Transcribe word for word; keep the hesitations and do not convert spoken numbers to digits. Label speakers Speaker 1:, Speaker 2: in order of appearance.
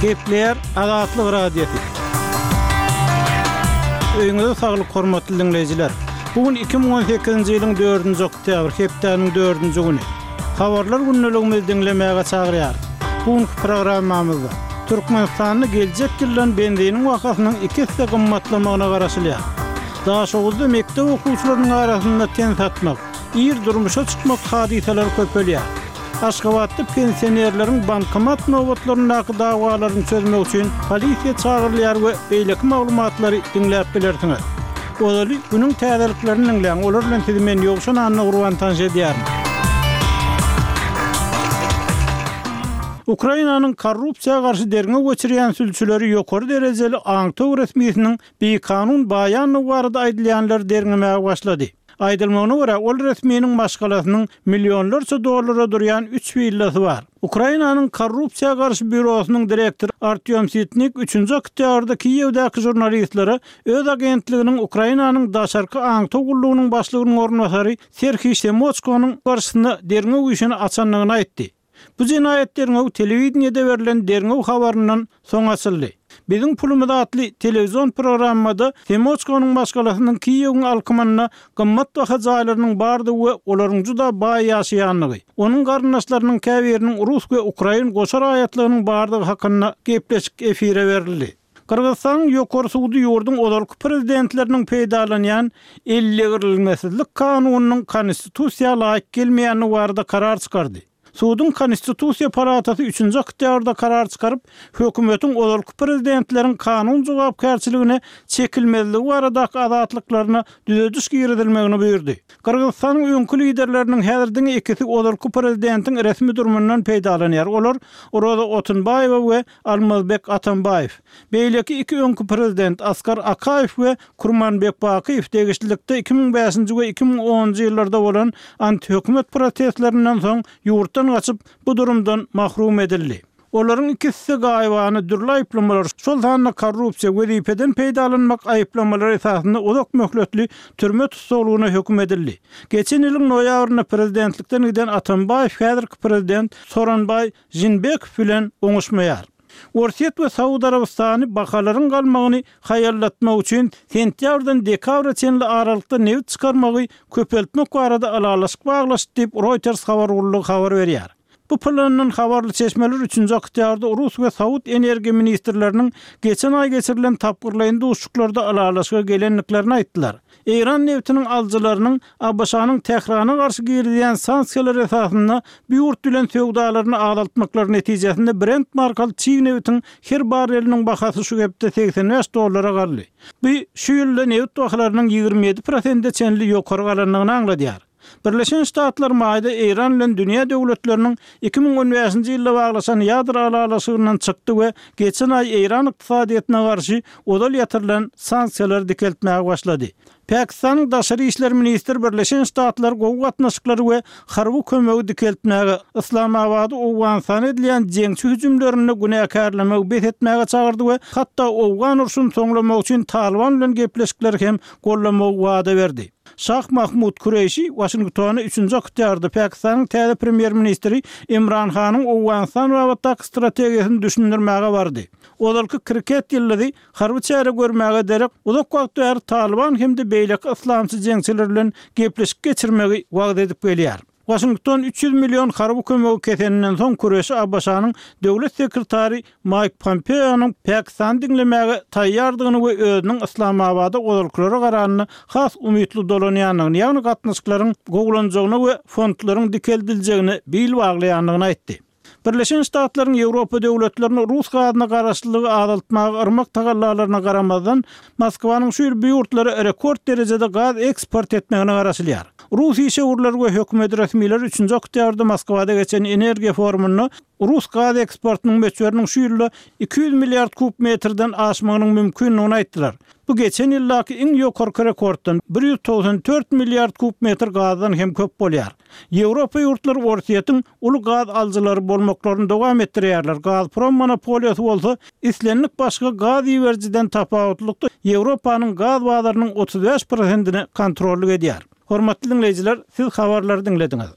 Speaker 1: Gepleýär Azatlyk Radiosy. Öýüňize saglyk hormatly diňleýjiler. Bu gün iki müň on sekizinji ýylyň dördünji oktýabr, hepdäniň dördünji güni. Habarlar gündeligimizi diňlemäge çagyrýarys. Bu günki programmamyzda Türkmenistanda geljek ýyldan benziniň bahasynyň iki esse gymmatlamagyna garaşylýar. Daşoguzda mekdep okuwçylarynyň arasynda ten satmak, ir durmuşa çykmak hadysalary köpelýär. Aşgabatda pensionerleriň bankomat nobatlaryndaky dawalaryny çözmek üçin polisiýa çagyrylýar we beýleki maglumatlary diňläp bilersiňiz. Ozaly günüň täzeliklerini diňläň, olar bilen sizi men Ýowşan Annagurban tanyş edýärin. Ukrainanyň korrupsiýa garşy derňew geçirýän sülçüleri ýokary derejeli aňtaw resmisiniň bikanun baýandygy barada aýdylýanlary derňemäge başlady. Aýdylmagyna görä, ol resminiň maşgalasynyň millionlarça dollara durýan üç willasy bar. Ukrainanyň korrupsiýa garşy býurosynyň direktory Artýom Sitnik üçünji oktýabrda Kiýewdäki žurnalistlere öz agentliginiň Ukrainanyň daşarky aňtaw gullugynyň başlygynyň orunbasary Serhiý Semoçkonyň garşysyna derňew işini açandygyny aýtdy. Bu jenaýat derňewi telewideniýede berlen derňew habaryndan soň açyldy. Biziň pulumyz atly telewizion programmada Semoçkonyň maşgalasynyň Kiýewiň alkymynda gymmat baha jaýlarynyň bardygy we olaryň juda baý ýaşaýandygy, onuň garyndaşlarynyň käbiriniň rus we ukrain goşa raýatlygynyň bardygy hakynda gepleşik efire berildi. Gyrgyzystanyň Ýokary sudy ýurduň ozalky prezidentleriniň peýdalanýan ellegirilmesizlik kanunynyň konstitusiýa laýyk gelmeýändigi barada karar çykardy. Suduň Konstitusiýa palatasy üçünji oktýabrda karar çykaryp, hökümetiň ozalky prezidentleriň kanun jogapkärçiligine çekilmezligi baradaky azatlyklaryna düzediş girizilmegini buýurdy. Gyrgyzystanyň öňki liderleriniň häzir diňe ikisi ozalky prezidentiň resmi durumyndan peýdalanýar, olar Roza Otunbaýewa we Almazbek Atambaýew. Beýleki iki öňki prezident Askar Akaýew we Kurmanbek Bakyýew degişlilikde iki müň bäşinji we iki müň onunjy ýyllarda bolan antihökümet protestlerinden soň ýurtdan gaçyp, bu durumdan mahrum edildi. Olaryň ikisi-de gaýybana dürli aýyplamalar, şol sanda korrupsiýa, wezipeden peýdalanmak aýyplamalary esasynda uzak möhletli türme tussaglygyna höküm edildi. Geçen ýylyň noýabrynda prezidentlikden giden Atambaýew häzirki prezident Soronbaý Žinbekow bilen oňuşmaýar. Orsýet we Saud Arabystany bahalaryň galmagyny haýallatmak üçin sentýabrdan dekabra çenli aralykda nebit çykarmagy köpeltmek barada ylalaşyk baglaşdy diýip, Reuters habar gullugy habar berýär. Bu plandan habarly çeşmeler üçünji oktýabrda rus we saud energiýa ministrleriniň geçen aý geçirilen tapgyrlaýyn duşuşyklarda ylalaşyga gelendiklerini aýtdylar. Eýran nebitiniň alyjylarynyň ABŞ-nyň Tährana garşy girizýän sanksiýalary esasynda bu ýurt bilen söwdalaryny azaltmaklary netijesinde Brent markaly çig nebitiň her barreliniň bahasy şu hepde segsen bäş dollara galdy. Bu şu ýylda nebit bahalarynyň ýigrimi ýedi prosente çenli ýokary galandygyny aňladýar. Birleşen Ştatlar maýda Eýran bilen dünýä döwletleriniň iki müň on bäşinji ýylda baglaşan ýadro ylalaşygyndan çykdy we geçen aý Eýran ykdysadyýetine garşy ozal ýatyrylan sanksiýalary dikeltmäge başlady. Pakistanyň daşary işler ministri Birleşen Ştatlar gowy gatnaşyklary we harby kömegi dikeltmäge, Yslamabady Owganystana edilýän jeňçi hüjümlerinde günäkärlemegi bes etmäge çagyrdy we hatda owgan urşuny soňlamak üçin Talyban bilen gepleşikleri hem goldamagy wada berdi. Şah Mahmud Kureýşi Waşingtona üçünji oktýabrda Pakistanyň täze premýer-ministri Imran Hanyň Owganystan babatdaky strategiýasyny düşündirmäge bardy. Ozalky kriket ýyldyzy harby çäre görmäge derek uzak wagt bäri Talyban hem-de beýleki yslamçy jeňçiler bilen gepleşik geçirmegi wagyz edip gelýär. Waşington üç ýüz million harby kömegi keseninden soň Kureşi ABŞ-nyň döwlet sekretary Maýk Pompeonyň Pakistany diňlemäge taýýardygyny we özüniň Yslamabada ozalkylara garanda has umytly dolanýandygyny, ýagny gatnaşyklaryň gowulanjagyna we fondlaryň dikeldiljegine bil baglaýandygyny aýtdy. Birleşen Ştatlaryň Ýewropa döwletlerini rus gazyna garaşlylygy azaltmaga yrmak tagallalaryna garamazdan, Moskwanyň şu ýyl bu ýurtlara rekord derejede gaz eksport etmegine garaşylýar. Rus işewürleri we hökümet resmileri üçünji oktýabrda Moskwada geçen energiýa forumynda rus gaz eksportynyň möçberiniň şu ýylda iki ýüz milliard kub metrden aşmagynyň mümkindigini aýtdylar. Bu geçen ýyldaky iň ýokarky rekorddan, bir ýüz togsan dört milliard kub metr gazdan hem köp bolýar. Ýewropa ýurtlary Orsýetiň uly gaz alyjylary bolmaklaryny dowam etdirýärler, Gazprom monopoliýasy bolsa islendik başga gaz iberijiden tapawutlylykda Ýewropanyň gaz bazarynyň otuz bäş prosentine kontrollyk edýär. Hormatly diňleýjiler, siz habarlary diňlediňiz.